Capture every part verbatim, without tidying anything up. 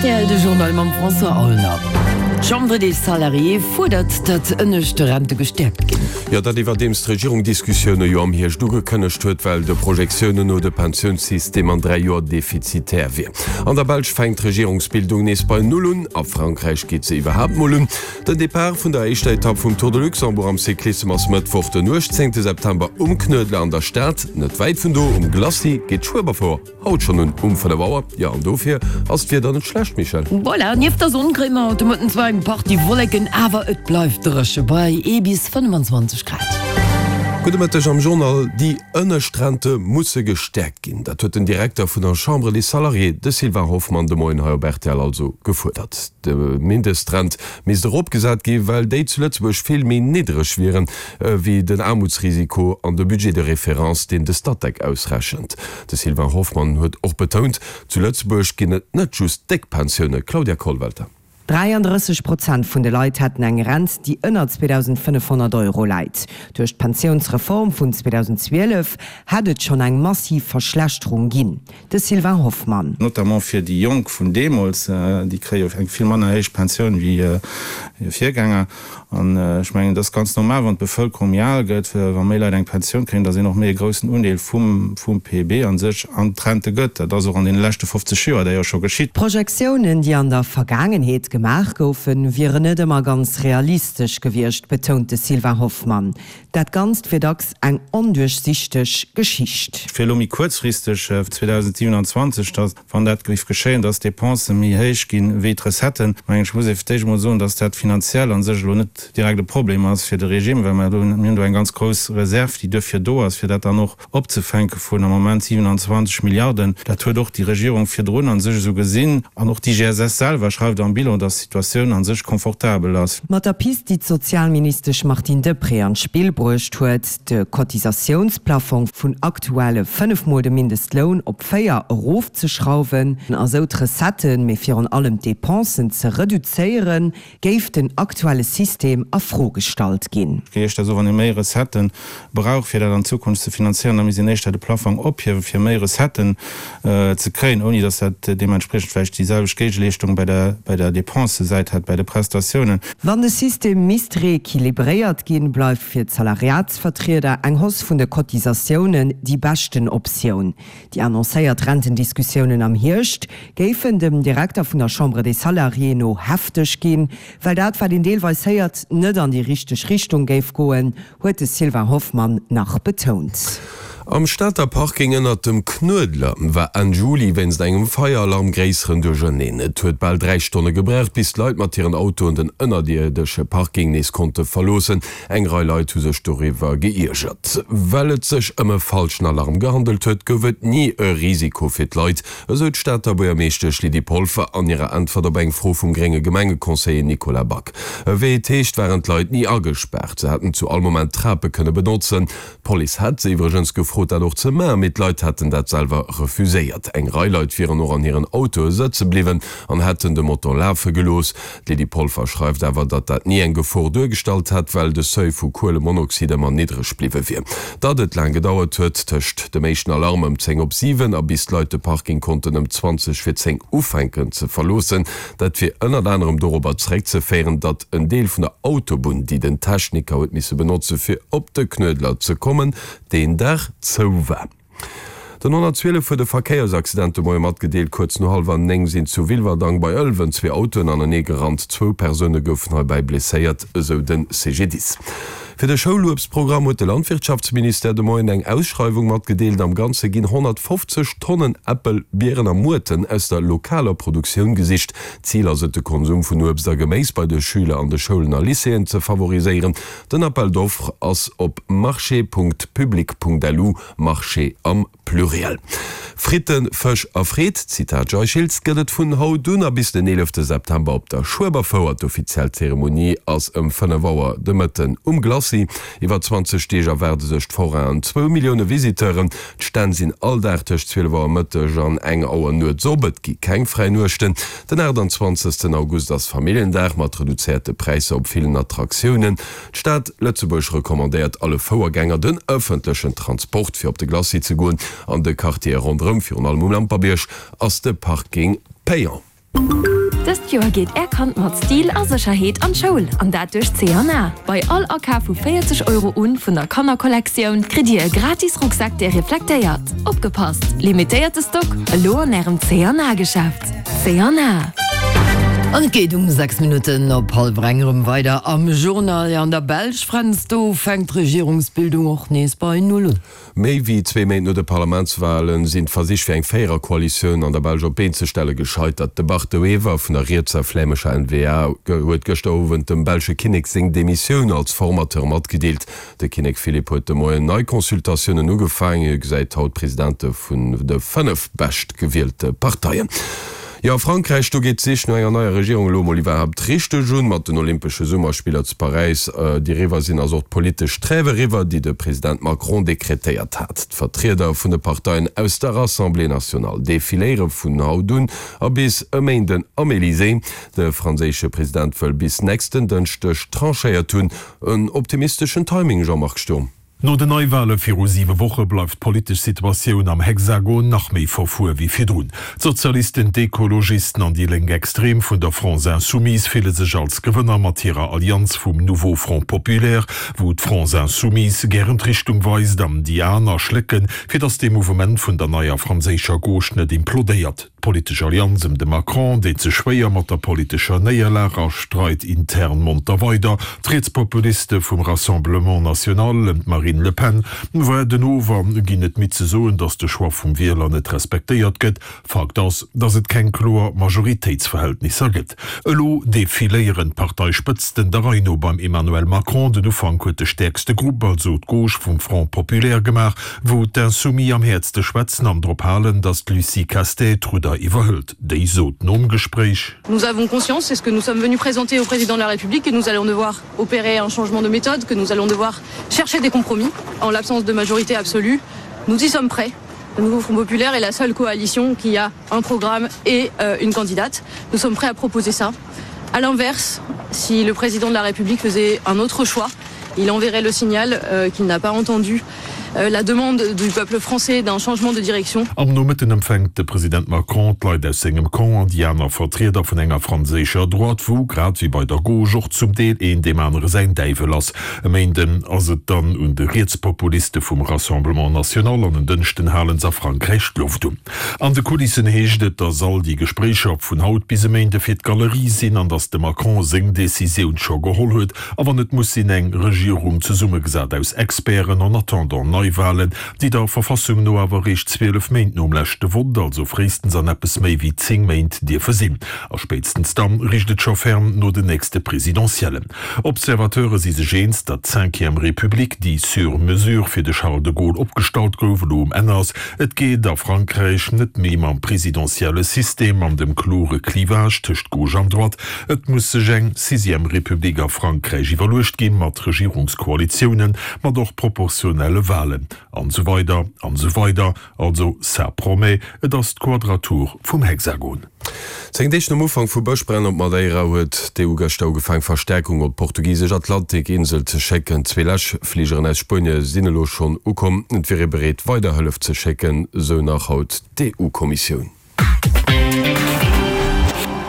rtl, de Journal mam François Aulner. D'Chambre des Salariés fuerdert, datt ënnescht Rente gestäerkt ginn. Jo, dat iwwerdeems d'Regierung Diskussioune jo am Hierscht ugekënnegt huet, well de Projektiounen no de Pensiounssystem an dräi Joer defizitär wier. An der Belsch fänkt d'Regierungsbildung nees bei Null un, a Frankräich geet se iwwerhaapt mol un. Den Depart vun der éischter Etapp vum Tour de Luxembourg am Cyclissem ass Mëttwoch den uechtzéngte September um Knuedler an der Stad. Net wäit vun do, um Glacis, geet d'Schueberfouer haut schonn un um fënnef Auer. Jo, an dofir ass d'Wieder net schlecht, Michèle. Voilà, nieft der Sonn kréie mer haut de Mëtten zwar eng Partie Wolleken, awer et bleift dréche bei ee bis fënnefenzwanzeg Grad. Gudde Mëtteg am Journal. Déi ënnescht Rente musse gestäerkt ginn. Dat huet den Direkter vun der Chambre des Salariés, de Sylvain Hoffmann, de Moien hei op rtl also gefuerdert. De Mindestrent misst eropgesat gi well déi zu Lëtzebuerg vill méi niddereg wieren wéi den Aarmutsrisiko an de Budget de référence, deen de Statec ausrechent. De Sylvain Hoffmann huet och betount, zu Lëtzebuerg ginn et net just déck Pensioune. Claudia Kollwelter. Dräiandrësseg Prozent vun de Leit hätten eng Rent, déi ënner zweedausendfënnefhonnert Euro läit. Duerch d'Pensiounsreform vun zweedausendzwielef hätt et schonn eng massiv Verschlechterung ginn. De Sylvain Hoffmann. Notamment fir déi Jonk vun deemools, déi kréie eng vill manner héich Pensioun wéi hir Virgänger. An ech mengen, et ass ganz normal, wann d'Bevëlkerung méi al gëtt, wa méi Leit eng Pensioun kréien, datt een och méi e groussen Undeel vum vum P I B a sech an d'Rente gëtt. Dat ass och an deene leschte fofzeg Joer d'ailleurs scho geschitt. D'Projektiounen, déi an der Vergaangenheet gemaach goufen, wieren net ëmmer ganz realistesch gewiescht, betount de Sylvain Hoffmann. Dat Ganzt wier dacks eng onduerchsichteg Geschicht. Fir elo méi kuerzfristeg, zweedausendsiewenanzwanzeg, datt, wann dat géif geschéien, datt d'Dépensë méi héich ginn wéi d'Recetten, mengen ech, muss ee fir d'éischt emol soen, datt dat finanziell a sech elo net direkt e Problem ass fir de Regime, well mer do, mir hunn do eng ganz grouss Reserv, déi duerfir do ass, fir dat dann och opzefänke vun am Moment siewenanzwanzeg Milliarden. Dat huet och déi Regierung virdrun a sech esou gesinn an och d'I G S S selwer schreift am Bilan, datt d'Situatioun a sech confortabel ass. Mat der Pist, déi d'Sozialministesch Martine Deprez an d'Spill bruecht huet, de Cotisatiounsplafong vun aktuelle fënnef Mol de Mindestloun op véier erofzeschrauwen a sou d'Recetten, mee virun allem d'Depensen ze reduzéieren, géif den aktuelle System a Fro gestallt ginn. Ech géif éischter soen, wann ee méi Recetten brauch, fir dat an Zukunft ze finanzéieren, da misst een éischter de Plafong ophiewen, fir méi Recetten ze kréien, ouni datt dat deementspriechend vläicht déi selwecht Géigeleeschtung bei der bei der Dépensesäit hätt, bei de Prestatiounen. Wann de System misst reequilibréiert ginn, bleift fir d'Salariatsvertrieder eng Hausse vun de Cotisatiounen déi beschten Optioun. Déi annoncéiert Rentendiskussiounen am Hierscht géifen dem Direkter vun der Chambre des Salariés no hefteg ginn, well dat, wat een deelweis héiert, net an déi richteg Richtung géif goen, huet de Sylvain Hoffmann nach betount. Am Stater Parking ënnert dem Knuedler war Enn Juli wéinst engem Feieralarm gréisseren Duercherneen. Et huet bal dräi Stonne gebraucht, bis d'Leit mat hiren Autoen den ënnerierdesche Parking nees konnte verloossen. Eng Rei Leit hu sech doriwwer geiergert. Well et sech ëm e falschen Alarm gehandelt huet, gouf et ni e Risiko fir d'Leit, esou d'Stater Buergermeeschtesch Lydie Polfer an hirer Äntwert op eng Fro vum grénge Gemengeconseiller Nicolas Back. Wéi et heescht, waren d'Leit ni agespaart, se hätten zu all Moment d'Trape kënne benotzen. D'Police hätt se iwwregens gefrot, dat och ze maachen, mee d'Leit hätten dat selwer refuséiert. Eng Rei Leit wieren och an hiren Autoe sëtze bliwwen an hätten de Motor lafe gelooss. D'Lydie Polfer schreift awer, datt dat ni eng Gefor duergestallt hätt, well de Seuil vu Kuelemonoxid ëmmer niddreg bliwwe wier. Datt et laang gedauert huet tëscht dem éischten Alarm ëm zéng op siwen a bis d'Leit de Parking konnten ëm zwanzeg vir zéng ufänken ze verloossen, dat wier ënnert anerem dorobber zeréckzeféieren, datt en Deel vun der Autobunn, déi den Techniker huet misse benotze fir op de Knuedler ze kommen, deen Dag zou war. Den honnertzwielef huet e Verkéiersaccident de Moie matgedeelt. Kuerz no hallwer néng sinn zu Wilwerdang bei Ëlwen zwee Autoen anenee gerannt. Zwou Persoune goufen heibäi blesséiert, esou de C G D I S. Fir de Schouluebstprogramm huet de Landwirtschaftsministère de Moien eng Ausschreiwung matgedeelt. Am Ganze ginn honnertfofzeg Tonnen Äppel, Bieren a Muerten aus der lokaler Produktioun gesicht. Zil ass et, de Konsum vun Uebst a Geméis bei de Schüler an de Schoulen a Lycéeën ze favoriséieren. Den Appel d'offres ass op marché Punkt public Punkt lu, Marché am Pluriel. Fritten, Fësch a Freed, Zitat Jay Schiltz, gëtt et vun haut un a bis den eelefte September op der Schueberfouer. D'offiziell Zeremonie ass ëm fënnef Auer de Mëtten um Glacis. Iwwer zwanzeg Deeg erwaarde sech d'Forainen zwou Millioune Visiteuren. D'Stänn sinn all Dag tëscht zwielef Auer Mëtteg an eng Auer nuets op. Et gi keng fräi Nuechten. Den aachtanzwanzegsten August ass Familljendag mat reduzéierte Präisser op villen Attraktiounen. D'Stad Lëtzebuerg recommandéiert alle Fouergänger den ëffentlechen Transport fir op de Glacis ze goen. An de Quartiere ronderëm, virun allem um Lamperbierg, ass de Parking payant. Dëst Joer geet Är Kand mat Stil a Sécherheet an d'Schoul, an dat duerch C an A. Bei all Akaf vu véierzeg Euro un vun der Kannerkollektioun kritt Dir e gratis Rucksak dee reflektéiert. Opgepasst, limitéierte Stock, elo an Ärem C an A Geschäft. C an A. An et geet um sechs Minutten op hallwer eng erëm weider am Journal. Jo, an der Belsch, Fränz, do fänkt d'Regierungsbildung och nees bei Null un. Méi wéi zwee Méint no de Parlamentswale sinn d'Versich fir eng Véiererkoalitioun an der Belsch op d'Been ze stelle gescheitert. De Bart De Wever vun der rietser flämescher N V A huet gëschter Owend dem belsche Kinnek seng Demissioun als Formateur matgedeelt. De Kinnek Philippe huet de Moien nei Consultatiounen ugefaangen. Hie gesäit haut d'Presidente vun de fënnef beschtgewielte Parteien. Jo, a Frankräich, do geet d'Sich no enger neier Regierung elo mol iwwerhaapt richteg un. Mat den Olympesche Summerspiller zu Paräis, déi eriwwer sinn, ass och d'politesch Trêve eriwwer, déi de President Macron dekretéiert hat. D'Vertrieder vun de Parteien aus der Assemblée nationale defiléiere vun haut un a bis e Méinden am Elysée. De franséische President wëll bis nächsten Dënschdeg tranchéiert hunn. En optimisteschen Timing, Jean-Marc Sturm. No den Neiwale viru siwe Woche bleift d'politesch Situatioun am Hexagon nach méi verfuer wéi virdrun. D'Sozialisten, d'Ekologisten an déi Lénksextrem vun der France Insoumise fille sech als Gewënner mat hirer Allianz vum Nouveau Front Populaire, wou d'France Insoumise gären d'Richtung weist an déi aner schlécken, fir datt de Mouvement vun der neier franséischer Gauche net implodéiert. D'politesch Allianz ëm de Macron deet sech schwéier mat der politescher Néierlag a streit intern monter weider. D'Rietspopuliste vum Rassemblement National ëm d'Marine Le Pen waarden of a ginn net midd ze soen, datt de Choix vum Wieler net respektéiert gëtt. Fakt ass, datt et keng kloer Majoritéitsverhältnisser gëtt. Elo defiléieren d'Parteispëtzten der Rei no beim Emmanuel Macron. Den Ufank huet de stäerkste Grupp, also d'Gauche vum Front Populaire gemaach, wou d'Insoumis am häertste schwätzen an drop halen, datt d'Lucie Castets d'Rudder iwwerhëlt. Déi sot nom Gespréich. Nous avons conscience, c'est ce que nous sommes venus présenter au président de la République, que nous allons devoir opérer un changement de méthode, que nous allons devoir chercher des compromis en l'absence de majorité absolue. Nous y sommes prêts. Le Nouveau Front Populaire est la seule coalition qui a un programme et euh, une candidate. Nous sommes prêts à proposer ça. À l'inverse, si le président de la République faisait un autre choix, il enverrait le signal euh, qu'il n'a pas entendu euh, la demande du peuple français d'un changement de direction. Am Nomëtten empfänkt de President Macron d'Leit aus sengem Camp an déi aner Vertrieder vun enger franséischer Droite, wou, grad wéi bei der Gauche, och zum Deel een deem anere säin Däiwel ass. E Méinden ass et dann un de Rietspopuliste vum Rassemblement National an en Dënschden halen se a Frankräich d'Loft un. An de Kulissen heescht et, datt all déi Gespréicher vun haut bis e Méinde fir d'Galerie sinn an datt de Macron seng Decisioun scho geholl huet a wann et muss sinn eng Regierung zesummegesat aus Experten en attendant Neiwalen, déi der Verfassung no awer eréischt zwielef Méint nom leschte Vott, also fréistens an eppes méi wéi zéng Méint dierfe sinn. A spéitstens dann richt et scho ferm no den nächste Presidentiellen. Observateure si sech eens, datt d'Cinquième République, déi sur mesure fir de Charles de Gaulle opgestallt gouf, elo um Enn ass. Et geet a Frankräich net méi mam presidentielle System an dem klore Clivage tëscht Gauche an Droite. Et muss sech eng Sixième République a Frankräich iwwerluecht ginn, mat Regierungskoalitiounen, mat och proportionelle Walen, an esou weider an esou weider. Also ça promet, et ass d'Quadratur vum Hexagon. Zéng Deeg nom Ufank vu Bëschbränn op Madeira huet d'E U gëschter ugefaang Verstäerkung op d'portugisesch Atlantikinsel ze schécken. Zwee Läschfligeren aus Spuenie sinn elo schonn ukomm. Et wier ee bereet weider Hëllef ze schécken, sou nach haut d'E U-Kommissioun.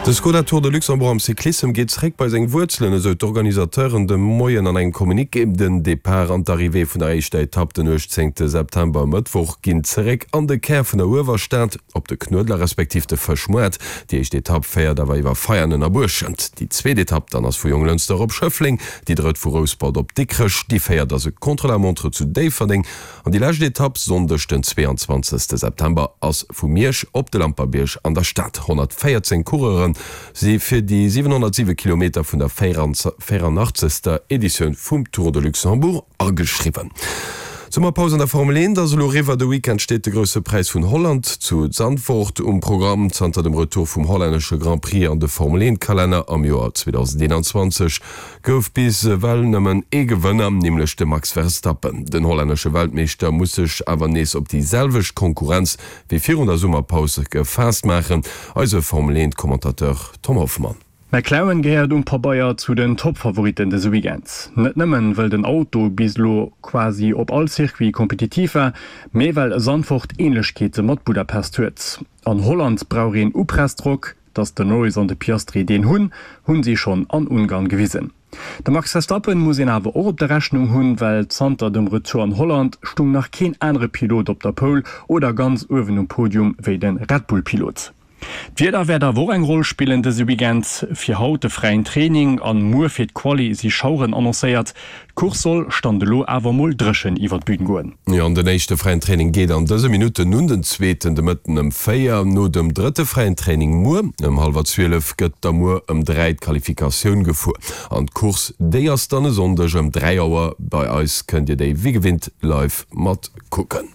De Skoda Tour de Luxembourg am Cyclissem geet zeréck bei seng Wuerzelen, esou d'Organisateuren de Moien an engem Communiqué. Den Depart an d'Arrivée vun der éischter Etapp den uechtzéngte September, Mëttwoch, ginn zeréck an de Kär vun der Uewerstad, op de Knuedler respektiv de Fëschmoart. Déi éischt Etapp féiert awer iwwer Veianen a Buerschent. Déi zweet Etapp dann ass vu Jonglënster op Schëffleng, déi drëtt vu Rouspert op Dikrech, déi véiert ass e Contre-la-montre zu Déifferdeng an déi lescht Etapp, Sonndeg den zweeanzwanzegste September, ass vu Miersch op de Lamperbierg an der Stad. honnertvéierzéng Coureure si fir déi siwenhonnertsiwe Kilometer vun der véieranachtzeger Editioun vum Tour de Luxembourg ageschriwwen. Summerpaus an der Formel eent ass elo eriwwer. De Weekend steet de Grousse Präis vun Holland zu Zandvoort um Programm. Zanter dem Retour vum hollännesche Grand Prix an de Formel eent Kalenner am Joer zweedausendeenanzwanzeg gouf bis ewell nëmmen ee Gewënner, nämlech de Max Verstappen. Den hollännesche Weltmeeschter muss sech awer nees op déi selwecht Konkurrenz wéi virun der Summerpaus gefaasst maachen. Eise Formel eent Commentateur Tom Hoffmann. McLaren gehéiert um Pabeier zu den Top-Favoritten dëse Weekend. Net nëmmen, well den Auto bis elo quasi op all Circuit kompetitiv war, mee well Zandvoort Änlechkeete mat Budapest huet. An Holland brauch een Upressdrock, Dass den Norris an de Piastri deen hunn, hunn si schonn an Ungarn gewisen. De Max Verstappen muss een awer och op der Rechnung hunn, well zanter dem Retour an Holland stung nach keen anere Pilot op der Pole oder ganz uewen um Podium wéi de Red Bull Pilot. D'Wieder wäert awer och eng Roll spillen dëse Weekend. Fir haut de fräien Training an muer fir d'Quali si Schaueren annoncéiert. D'Course soll, Stand elo, awer mol dréchen iwwer d'Bün goen. Jo, an den éischte fräien Training geet an dëse Minutten un, den zweeten de Mëtten ëm véier. No dem drëtte fräien Training muer ëm hallwer zwielef gëtt da muer ëm dräi d'Qualifikatioun gefuer. An d'Course, déi ass dann e Sonndeg ëm dräi Auer. Bei eis kënnt Dir déi wéi gewinnt live mat kucken.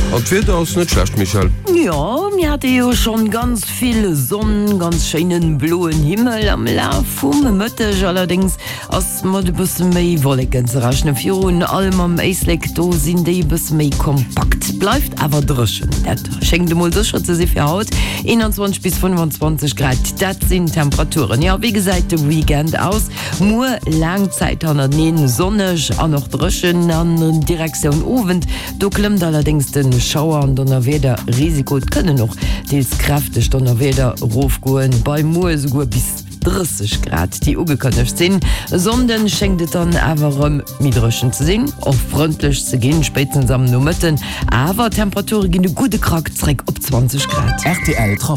An d'Wieder ass net schlecht, Michèle. Jo, mir hate jo schonn ganz vill Sonn, ganz schéinen bloen Himmel am Laf vum Mëtteg. Allerdéngs ass mat e bësse méi Wolleken ze rechnen, virun allem am Éislek, do sinn déi e bësse méi kompakt. Bleift awer dréchen, dat schéngt emol sécher ze si fir haut. eenanzwanzeg bis fënnefenzwanzeg Grad, dat sinn d'Temperaturen. Jo, wéi gesäit de Weekend aus? Muer laang Zäit hannerteneen sonneg an och dréchen an Direktioun Owend. Do klëmmt allerdéngs de Schauer an Donnerwiederrisiko. Et kënnen och deels kräfteg Donnerwieder erofgoen, bei muer esouguer bis drësseg Grad, déi ugekënnegt sinn. E Sonnden schéngt et dann awer erëm méi dréchen ze sinn, och frëndlech ze ginn, spéitstens am Nomëtten. Awer d'Temperature ginn e gudde Krack zréck op zwanzeg Grad. Rtl Trafic.